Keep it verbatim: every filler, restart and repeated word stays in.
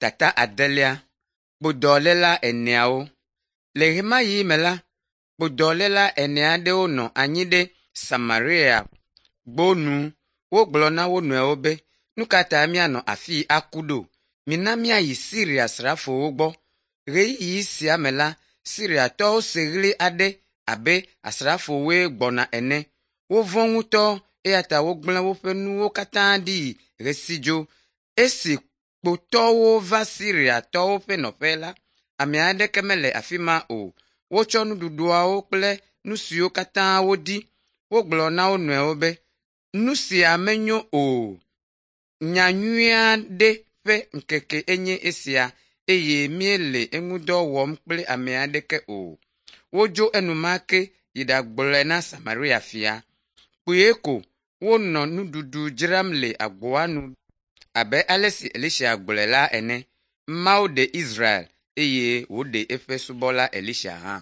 Tata adelia. Kpodɔléla eneawo. Le ɣemaɣi me la, kpodɔléla ene aɖewo nɔ anyi ɖe Samaria gbonu. Wogblɔ na wo nɔewo be, “Nu ka ta míanɔ afii aku ɖo? Mina míayi Siria srafowo gbɔ.” Ɣeyiɣi sia me la, Siriatɔwo se ɣli aɖe abe asrafowoe gbɔna ene. Wovɔ̃ ŋutɔ eya ta wogblẽ woƒe nuwo katã ɖi hesi dzo. Esi kpotɔwo va Siriatɔwo ƒe nɔƒe la, ame aɖeke mele afi ma o. Wotsɔ nuɖuɖuawo kple nu siwo katã wodi. Wogblɔ na wo nɔewo be, “Nu sia menyo o. Nya nyui aɖe ƒe ŋkeke enye esia eye míele eŋudɔ wɔm kple ame aɖeke o.” Wodzo enumake yi ɖagblɔe na Samaria fia. Kpuie ko wonɔ nuɖuɖu dzram le agboa nu abe ale si Elisa gblɔe la ene. Mawu ɖe Israel eye wòɖe eƒe subɔla Elisa hã.